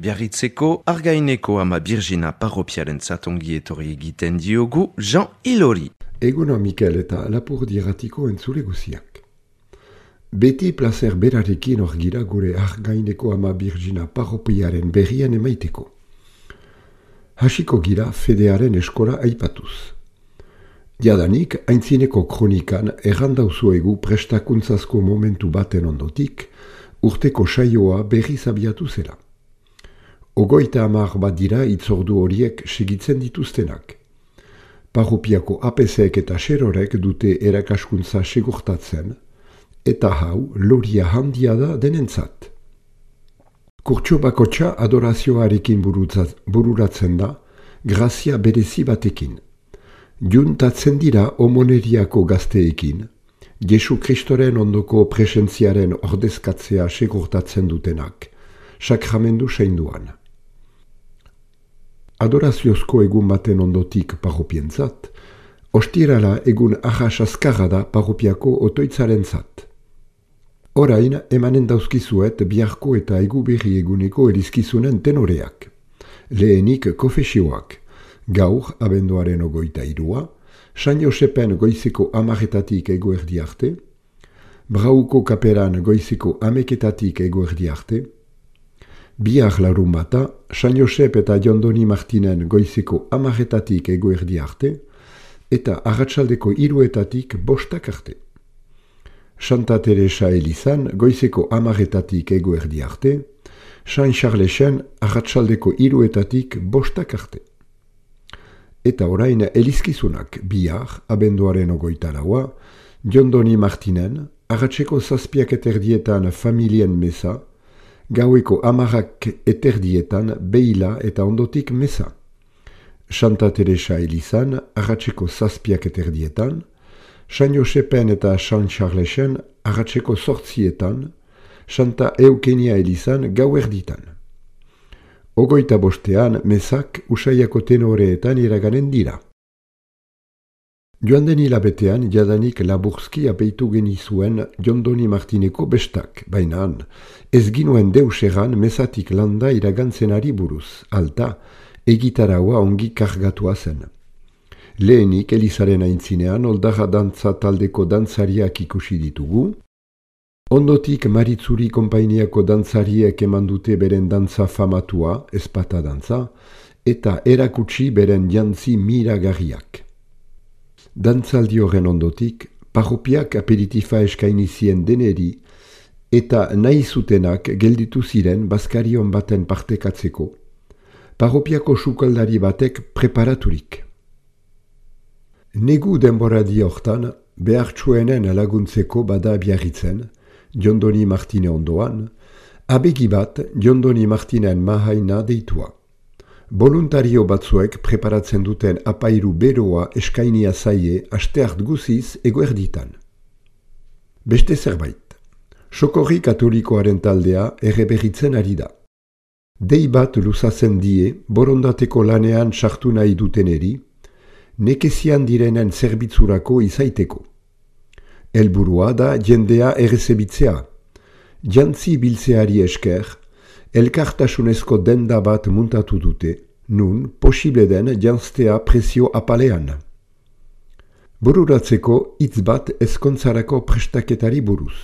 Biarritzeko Argaineko ama Birjina parropiaren zatongi etorri egiten diogu Jean Ilori. Eguna Mikel eta Lapurdi-Irratiko entzule guziak. Beti placer berarekin hor gira gure Argaineko ama Birjina parropiaren berrian emaiteko. Hasiko gira fedearen eskola aipatuz. Jadanik, aintzineko kronikan errandauzuegu prestakuntzazko momentu baten ondotik, urteko saioa berriz abiatu zela. 30 bat dira itzordu horiek segitzen dituztenak. Parropiako APC-ek eta xerorek dute erakaskuntza segurtatzen, eta hau loria handia da denentzat. Kurtso bakotxa adorazioarekin bururatzen da, grazia berezi batekin. Juntatzen dira omoneriako gazteekin, Jesu Kristoren ondoko presentziaren ordezkatzea segurtatzen dutenak, sakramendu seinduan. Adoraziozko egun baten ondotik parropientzat, ostirala egun ahas azkarra da parropiako otoitzarentzat. Orain emanen dauzkizuet biharko eta eguberri eguneko erizkizunen tenoreak. Lehenik kofesioak, gaur abenduaren 23, San Josepen goizeko 10 eguerdi arte, Brauko kaperan goizeko 11 eguerdi arte, bihar larun bata, San Josep eta Jondoni Martinen goizeko 10 eguerdi arte, eta arratsaldeko 3 arte. Santa Teresa Elizan goizeko 10 eguerdi arte, San Charlesen arratsaldeko 3 arte. Eta orain elizkizunak bihar, abenduaren 24, Jondoni Martinen, arratseko 7:30 familien mesa, gaueko 10:30 beila eta ondotik mesa. Santa Teresa Elizan, arratseko 7:30, San Josepen eta San Charlesen, arratseko 8:00, Santa Eukenia Elizan gauerditan. 25 mesak usaiako tenoreetan iraganen dira. Joan den hilabetean jadanik laburzki apeitu genizuen Jondoni Martineko bestak, baina ez ginuen deus egan mesatik landa iragantzenari buruz, alta egitaraua ongi kargatua zen. Lehenik Elizaren aintzinean oldarra dantza taldeko dantzariak ikusi ditugu, ondotik Maritzuri konpainiako dantzariek eman dute beren dantza famatua, ezpata dantza, eta erakutsi beren jantzi miragarriak. Dantzaldi horren ondotik, parropiak aperitifa eskaini zien deneri, eta nahi zutenak gelditu ziren bazkarion baten partekatzeko, parropiako sukaldari batek preparaturik. Negu denboradi hortan, behartsuenen laguntzeko bada Biarritzen, Jondoni Martine ondoan, abegi bat Jondoni Martinen mahaina deitua. Voluntario batzuek preparatzen duten apairu beroa eskainia zaie asteart guziz eguerditan. Beste zerbait, Sokorri Katolikoaren taldea erreberritzen ari da. Dei bat luzatzen die borondateko lanean sartu nahi duteneri, nekezian direnen zerbitzurako izaiteko. Helburua da jendea errezebitzea. Jantzi biltzeari esker, elkartasunezko denda bat muntatu dute, nun posible den janztea presio apalean. Bururatzeko hitz bat ezkontzarako prestaketari buruz.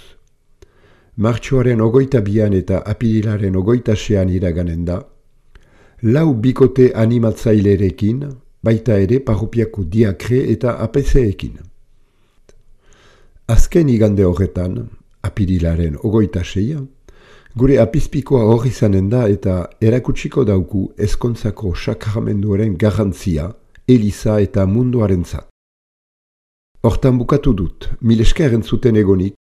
Martxoaren 22 eta apirilaren 26 iraganen da, 4 bikote animatzailerekin, baita ere parropiako diakre eta APC-ekin. Azken igande horretan, apirilaren 26, gure apizpikoa hor izanen da eta erakutsiko dauku ezkontzako sakramenduaren garrantzia, Eliza eta munduarentzat. Hortan bukatu dut, mil esker entzuten egonik,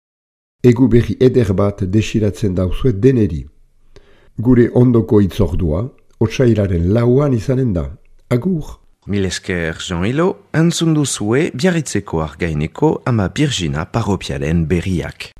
egu berri eder bat desiratzen dauzuet deneri. Gure ondoko itzordua, otsailaren 4 izanen da. Agur! Mil esker Jean Ilo, entzun duzue Biarritzeko Argaineko ama Birjina parropiaren berriak.